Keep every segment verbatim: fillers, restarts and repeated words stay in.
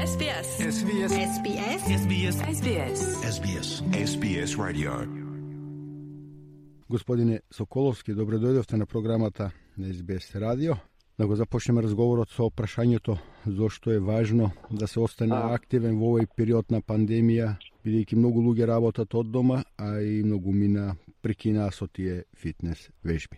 Ес Би Ес. Ес Би Ес. Ес Би Ес. Ес Би Ес. Ес Би Ес. Ес Би Ес. Ес Би Ес Radio. Господине Соколовски, добро дојдовте на програмата на Ес Би Ес радио. Да го започнеме разговорот со прашањето зошто е важно да се остане активен во овој период на пандемија, бидејќи многу луѓе работат од дома, а и многу мина прекинаа со тие фитнес вежби.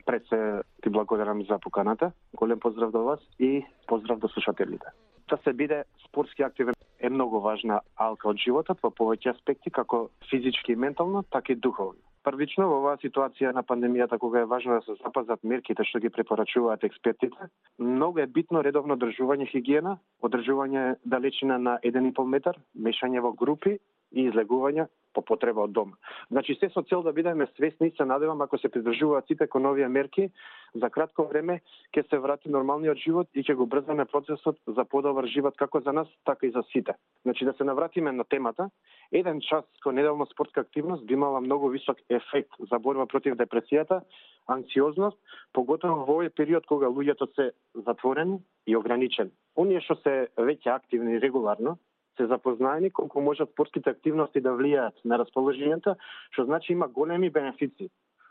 Пред се ти благодарам за поканата. Голем поздрав до вас и поздрав до слушателите. Да се биде спортски активен е многу важна алка од животот во повеќе аспекти, како физички и ментално, така и духовно. Првично, во оваа ситуација на пандемијата, кога е важно да се запазат мерките што ги препорачуваат експертите, многу е битно редовно одржување хигиена, одржување далечина на еден и пол метар, мешање во групи и излегување по потреба од дома. Значи, се со цел да бидеме свесни и се надевам, ако се придржуваат сите кон овие мерки, за кратко време ќе се врати нормалниот живот и ќе го брзаме процесот за подобар живот како за нас, така и за сите. Значи, да се навратиме на темата, еден час кон неделна спортска активност би имала многу висок ефект за борба против депресијата, анксиозност, поготово во овој период кога луѓето се затворени и ограничени. Оние што се веќе активни регуларно, се запознаени колку можат спортските активности да влијаат на расположението, што значи има големи бенефици.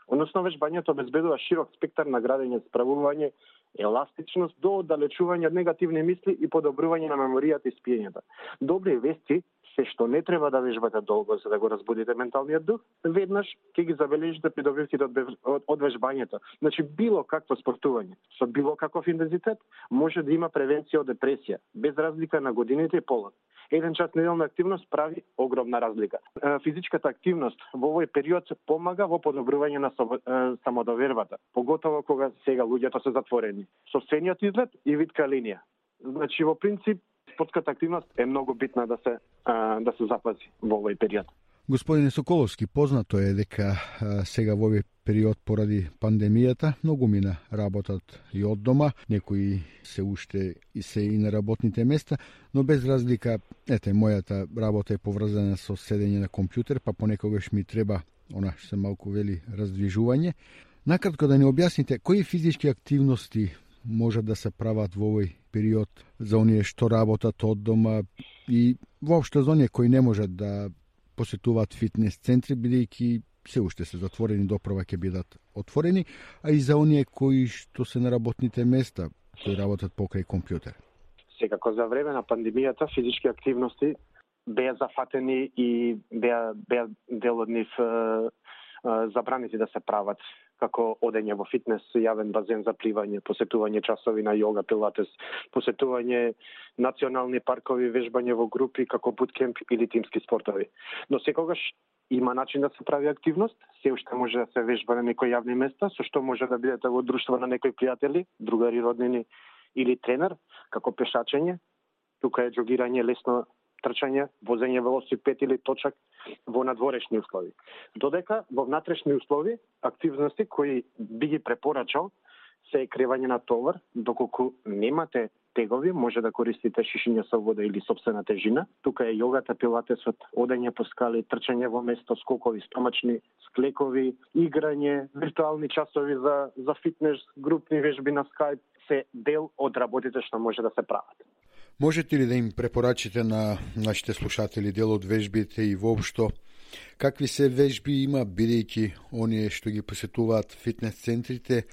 Односно, вежбањето обезбедува широк спектар на градење, справување, еластичност до оддалечување од негативни мисли и подобрување на меморијата и спиењето. Добри вести се што не треба да вежбате долго за да го разбудите менталниот дух, веднаш ќе ги забележите придобивките од, од, од вежбањето. Значи, било какво спортување, со било каков интензитет, може да има превенција од депресија, без разлика на годините и полот. Еден час неделна активност прави огромна разлика. Физичката активност во овој период помага во подобрување на самодовербата, поготово кога сега луѓето се затворени. Сопствениот изглед и витка линија. Значи, во принцип, спортската активност е многу битна да се да се запази во овој период. Господине Соколовски, познато е дека а, сега во овој период поради пандемијата многу мина работат и од дома, некои се уште и се и на работните места, но без разлика, ете, мојата работа е поврзана со седење на компјутер, па понекогаш ми треба, она што се малку вели, раздвижување. Накратко да ни објасните, кои физички активности можат да се прават во овој период за оние што работат од дома и воопшто за оние кои не можат да посетуваат фитнес центри, бидејќи се уште се затворени, допрва ќе бидат отворени, а и за оние кои што се на работните места, кои работат покрај компјутер. Секако за време на пандемијата физички активности беа зафатени и беа, беа дел од нив е, е, забранети да се прават, како одење во фитнес, јавен базен за пливање, посетување часови на јога, пилатес, посетување национални паркови, вежбање во групи, како буткемп или тимски спортови. Но секогаш има начин да се прави активност, се уште може да се вежба на некои јавни места, со што може да бидете во друштво на некои пријатели, другари, роднини или тренер, како пешачење, тука е џогирање, лесно трчање, возење велосипед или точак во надворешни услови. Додека во внатрешни услови активности кои би ги препорачал се кревање на товар, доколку немате тегови, може да користите шишиња со вода или сопствена тежина. Тука е јогата, пилатесот, одење по скали, трчање во место, скокови, стомачни, склекови, играње, виртуални часови за за фитнес, групни вежби на Skype, се дел од работите што може да се прават. Можете ли да им препорачите на нашите слушатели дел од вежбите и воопшто какви се вежби има, бидејќи оние што ги посетуваат фитнес центрите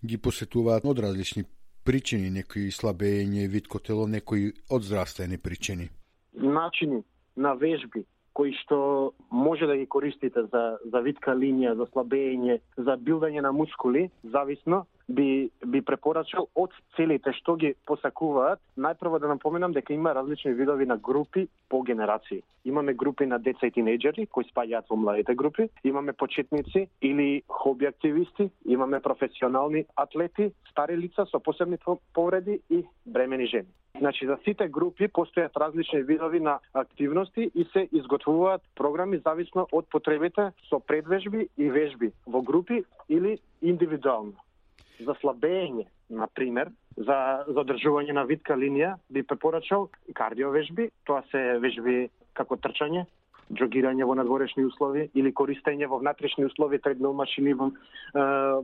ги посетуваат од различни причини, некои слабење, витко тело, некои од здравствени причини? Начини на вежби кои што може да ги користите за за витка линија, за слабење, за билдање на мускули, зависно би би препорачал од целите што ги посакуваат. Најпрво да напоменам дека има различни видови на групи по генерации. Имаме групи на деца и тинејџери кои спаѓаат во младите групи, имаме почетници или хоби активисти, имаме професионални атлети, стари лица со посебни повреди и бремени жени. Значи, за сите групи постојат различни видови на активности и се изготвуваат програми зависно од потребите со предвежби и вежби во групи или индивидуално. За слабење, например, за задржување на витка линија, би препорачал кардиовежби, тоа се вежби како трчање, џогирање во надворешни услови или користење во внатрешни услови, тредмил машини,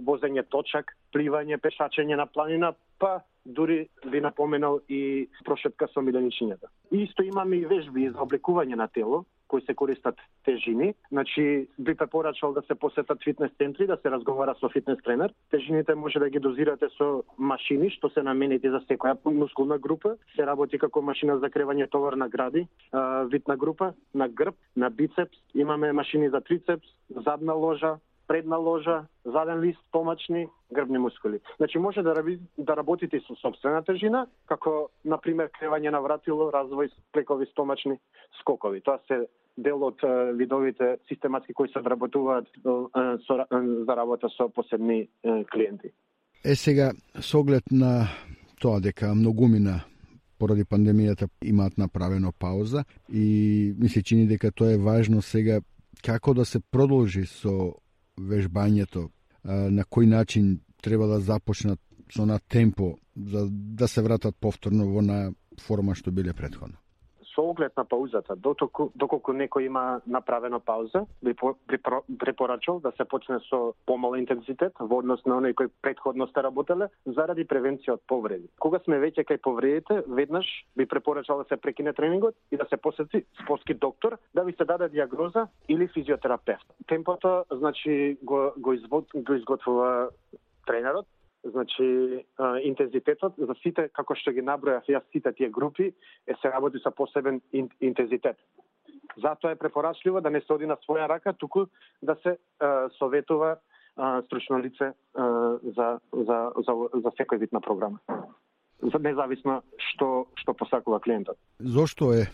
возење точак, пливање, пешачење на планина, па дури би напоменал и прошетка со миленичињата. Исто имаме и вежби за облекување на тело, кои се користат тежини. Значи, би препорачал да се посетат фитнес центри, да се разговара со фитнес тренер. Тежините може да ги дозирате со машини, што се наменети за секоја мускулна група. Се работи како машина за кревање товар на гради, витна група, на грб, на бицепс. Имаме машини за трицепс, задна ложа, предна ложа, заден лист, стомачни, грбни мускули. Значи може да, раби, да работите со собствена тежина, како, например, кревање на вратило, развој, плекови стомачни, скокови. Тоа се дел од видовите систематски кои се вработуваат со, за работа со посебни клиенти. Е сега, со оглед на тоа дека многумина поради пандемијата имаат направено пауза и ми се чини дека тоа е важно сега како да се продолжи со вежбањето, на кој начин треба да започнат со на темпо за да се вратат повторно во на форма што биле претходно. Со оглед на паузата, доколку, доколку некој има направено пауза, би препорачал да се почне со помал интензитет во однос на оној кој претходно сте работеле, заради превенција од повреди. Кога сме веќе кај повредите, веднаш би препорачал да се прекине тренингот и да се посети спортски доктор да ви се даде диагноза или физиотерапевт. Темпото, значи, го, го, извод, го изготвува тренерот. Значи, а, интензитетот за сите, како што ги набројав јас сите тие групи, е се работи со посебен ин, интензитет. Затоа е препорачливо да не се оди на своја рака, туку да се а, советува а, стручно лице а, за, за, за, за секој вид на програма. За независно што што посакува клиентот. Зошто е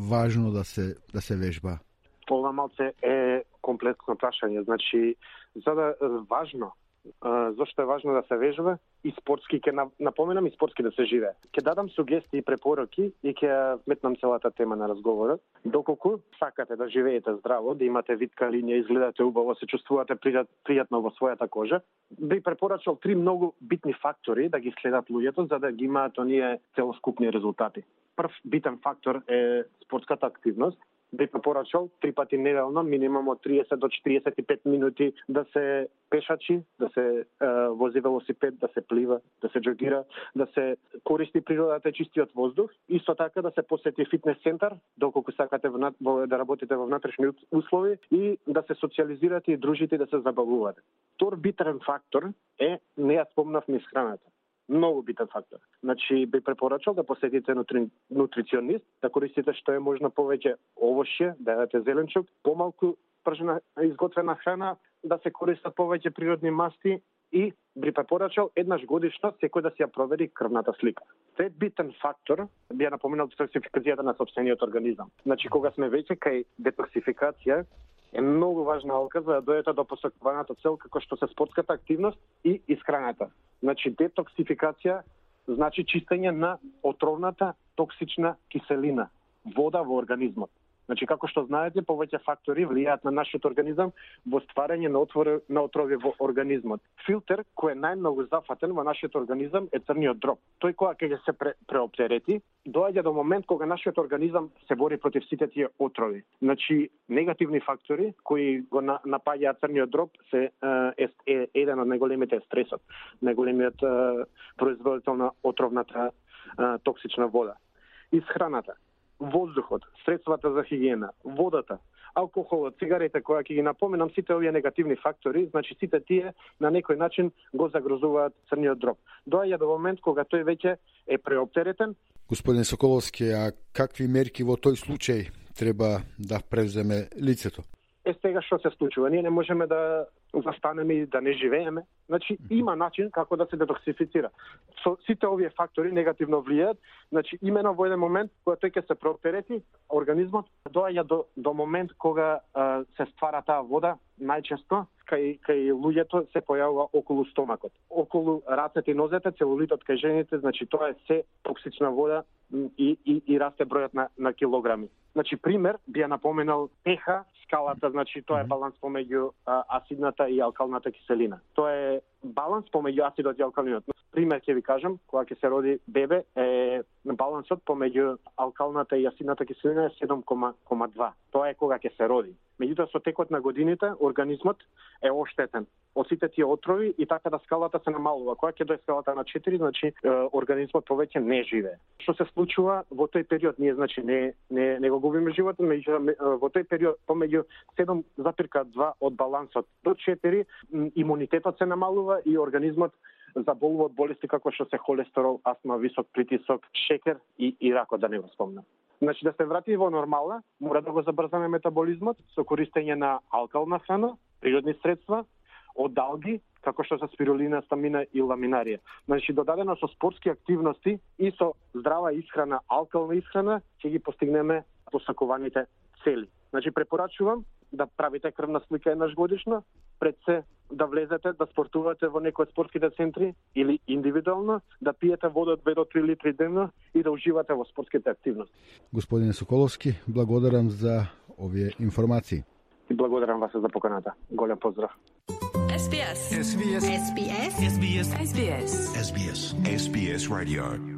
важно да се да се вежба? Ова малце е комплексно прашање. Значи, за да важно Uh, зошто е важно да се вежба и спортски, ќе напоменам и спортски да се живее. Ќе дадам сугестии и препораки и ќе вметнам целата тема на разговорот. Доколку сакате да живеете здраво, да имате витка линија, изгледате убаво, се чувствувате пријатно во својата кожа, би препорачал три многу битни фактори да ги следат луѓето за да ги имаат оние целоскупни резултати. Прв битен фактор е спортската активност. Би препорачал три пати неделно, минимум од триесет до четириесет и пет минути да се пешачи, да се е, вози велосипед, да се плива, да се джогира, да се користи природата, чистиот воздух. Исто така да се посети фитнес центар, доколку сакате во, да работите во внатрешни услови и да се социализирате и дружите и да се забавувате. Втор битен фактор е, не ја спомнав, низ храната. Многу битен фактор. Значи, би препорачал да посетите нутри... нутриционист, да користите што е можно повеќе овошје, да јадете зеленчук, помалку пржена изготвена храна, да се користат повеќе природни масти и би препорачал еднаш годишно секој да си ја провери крвната слика. Трет битен фактор би ја напоменал детоксификацијата на сопствениот организам. Значи, кога сме веќе кај детоксификација, е многу важна алка за да дојдете до посакуваната цел како што се спортската активност и исхраната. Значи, детоксификација значи чистење на отровната токсична киселина, вода во организмот. Значи, како што знаете, повеќе фактори влијаат на нашиот организам во стварање на, отвор... на отрови во организмот. Филтер кој е најмногу зафатен во нашиот организам е црниот дроб. Тој кога ќе се пре... преоптерети, доаѓа до момент кога нашиот организам се бори против сите тие отрови. Значи, негативни фактори кои го напаѓаат црниот дроб се е, е еден од најголемите стресот, најголемиот е, производител на отровната е, токсична вода. Исхраната, воздухот, средствата за хигиена, водата, алкохолот, цигарите, која ќе ги напоменам, сите овие негативни фактори, значи сите тие на некој начин го загрозуваат црниот дроб. Доаѓа до момент кога тој веќе е преоптеретен. Господин Соколовски, а какви мерки во тој случај треба да превземе лицето? Е, сега што се случува? Ние не можеме да застанеме и да не живееме. Значи, има начин како да се детоксифицира. Со сите овие фактори негативно влијаат. Значи, имено во еден момент, кога тој ќе се прооптерети, организмот доаѓа до, до момент кога а, се ствара таа вода, најчесто, кај, кај луѓето се појавува околу стомакот. Околу рацете и нозете, целулитот кај жените, значи тоа е се токсична вода и, и, и расте бројот на, на килограми. Значи, пример, би ја напоменал пеха, скалата, значи тоа е баланс помеѓу а, асидната и алкалната киселина. Тоа е баланс помеѓу асидот и алкалинот. Пример ќе ви кажам, кога ќе се роди бебе, е балансот помеѓу алкалната и јасината киселина е седум кома два. Тоа е кога ќе се роди. Меѓутоа со текот на годините организмот е оштетен од сите тие отрови и така да скалата се намалува. Кога ќе дојде скалата на четири, значи организмот повеќе не живее. Што се случува во тој период? Ние значи не не не го губиме животот, меѓутоа во тој период помеѓу седум запирка два од балансот до четири имунитетот се намалува и организмот заболува од болести како што се холестерол, астма, висок притисок, шекер и, и ракот, да не го спомнам. Значи да се врати во нормала, мора да го забрзаме метаболизмот со користење на алкална храна, природни средства, од алги, како што се спирулина, стамина и ламинарија. Значи додадено со спортски активности и со здрава исхрана, алкална исхрана, ќе ги постигнеме посакуваните цели. Значи препорачувам да правите крвна слика еднаш годишно, пред се да влезете, да спортувате во некој од спортските центри или индивидуално, да пиете вода од две до три литри дневно и да уживате во спортските активности. Господине Соколовски, благодарам за овие информации. И благодарам вас за поканата. Голем поздрав. S B S. S B S. S B S. S B S. S B S. S B S. S B S Radio.